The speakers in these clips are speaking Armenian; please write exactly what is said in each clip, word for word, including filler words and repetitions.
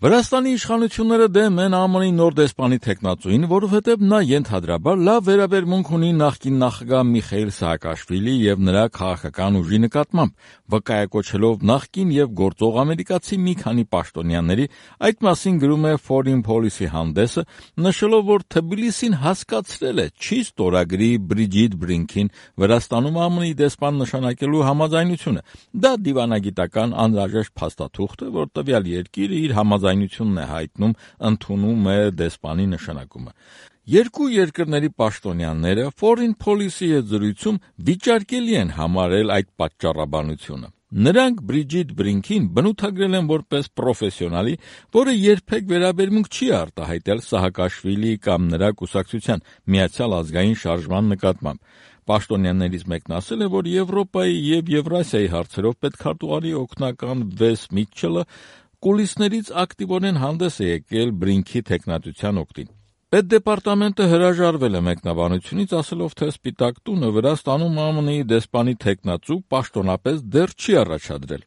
Վրաստանի իշխանությունները դեմ են ԱՄՆ-ի նոր դեսպանի թեկնածուին, որովհետև նա ենթադրաբար լավ վերաբերմունք ունի նախկին նախագահ Միխայիլ Սահակաշվիլի եւ նրա քաղաքական ուժի նկատմամբ, վկայակոչելով նախկին եւ գործող ամերիկացի մի քանի պաշտոնյաների, այդ մասին գրում է Foreign Policy հանդեսը, նշելով, որ Թբիլիսին հասկացրել է չի ստորագրի Բրիջիթ Բրինքին Վրաստանում ԱՄՆ-ի դեսպան նշանակելու համաձայնությունը։ Դա դիվանագիտական անհրաժեշտ փաստաթուղթ է, որ տվյալ երկիրը իր համաձայնությունն է հայտնում, ընդունում է դեսպանի նշանակումը։ Երկու երկրների պաշտոնյաները Foreign Policy հետ զրույցում վիճարկելի են համարել այդ պատճառաբանությունը։ Նրանք Բրիջիթ Բրինքին բնութագրել են որպես պրոֆեսիոնալի, որը երբեք վերաբերմունք չի արտահայտել Սահակաշվիլի կամ նրա կուսակցության Միացյալ ազգային շարժման նկատմամբ։ Պաշտոնյաներից մեկն ասել է, որ Եվրոպայի եւ Եվրասիայի հարցերով պետքարտուղարի օգնական Վես Միթչելը կուլիսներից ակտիվորեն հանդես է եկել Բրինքի թեկնածության օգտին։ Պետդեպարտամենտը հրաժարվել է մեկնաբանությունից, ասելով, թե Սպիտակ տունը Վրաստանում ԱՄՆ-ի դեսպանի թեկնածու պաշտոնապես դեռ չի առաջադրել։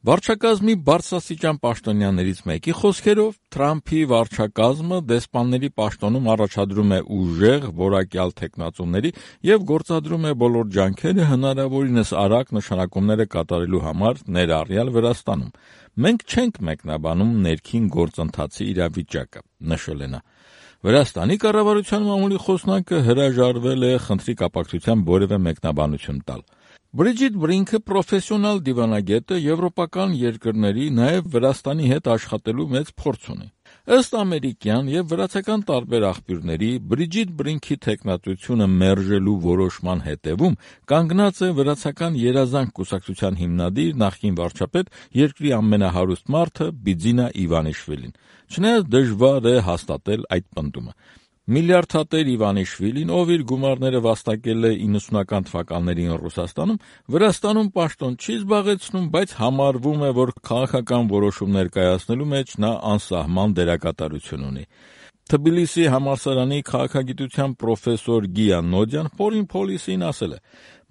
Վարչակազմի բարձրաստիճան պաշտոնյաներից մեկի խոսքերով Թրամփի վարչակազմը դեսպանների պաշտոնում առաջադրում է ուժեղ, որակյալ թեկնածուների եւ գործադրում է բոլոր ջանքերը հնարավորինս արագ նշանակումները կատարելու համար ներառյալ Վրաստանում։ Մենք չենք մեկնաբանում ներքին գործընթացի իրավիճակը, նշել է նա։ Վրաստանի կառավարության մամուլի խոսնակը հրաժարվել է խնդրի կապակցությամբ որևէ մեկնաբանություն տալ։ Բրիջիթ Բրինքը պրոֆեսիոնալ դիվանագետ է, եվրոպական երկրների, նաև Վրաստանի հետ աշխատելու մեծ փորձ ունի։ Ըստ ամերիկյան եւ վրացական տարբեր աղբյուրների, Բրիջիթ Բրինքի թեկնածությունը մերժելու որոշման հետևում կանգնած է վրացական Երազանք կուսակցության հիմնադիր նախկին վարչապետ, երկրի ամենահարուստ մարդը Բիձինա Իվանիշվիլին։ Չնայած դժվար է հաստատել այդ պնդումը։ Միլիարդատեր Իվանիշվիլին, ով իր գումարները վաստակել է իննսունական թվականներին Ռուսաստանում, Վրաստանում պաշտոն չի զբաղեցնում, բայց համարվում է, որ քաղաքական որոշումներ կայացնելու մեջ նա անսահման դերակատարություն ունի։ Թբիլիսի համալսարանի քաղաքագիտության պրոֆեսոր Գիա Նոդյան Foreign Policy-ին ասել է.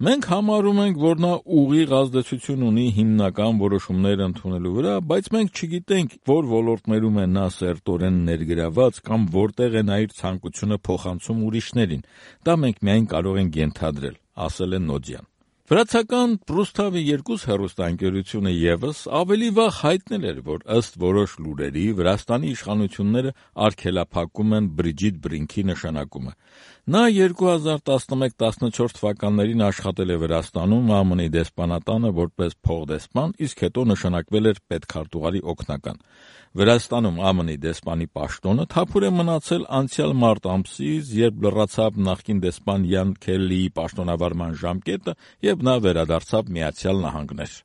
«Մենք համարում ենք, որ նա ուղիղ ազդեցություն ունի հիմնական որոշումներ ընդունելու վրա, բայց մենք չգիտենք, որ ոլորտներում է նա սերտորեն ներգրաված կամ որտեղ է նա իր ցանկությունը փոխանցում ուրիշներին։ Դա մենք միայն կարող ենք ենթադրել», ասել է Նոդյան։ Վրացական Պրուստավի երկուս հեռուստաընկերությունը ևս ավելի վաղ հայտնել էր, որ ըստ որոշ լուրերի Վրաստանի իշխանությունները արգելափակում են Բրիջիթ Բրինքի նշանակումը։ Նա երկու հազար տասնմեկ տասնչորս թվականներին աշխատել է Վրաստանում ԱՄՆ-ի դեսպանատանը որպես փոխդեսպան, իսկ հետո նշանակվել էր պետքարտուղարի օգնական։ Վրաստանում ԱՄՆ-ի դեսպանի պաշտոնը թափուր է մնացել անցյալ մարտ ամսից, երբ լռացավ նախկին դեսպան Յան Քելլիի պաշտոնավարման ժամկետը, եւ նա վերադարձավ Միացյալ Նահանգներ։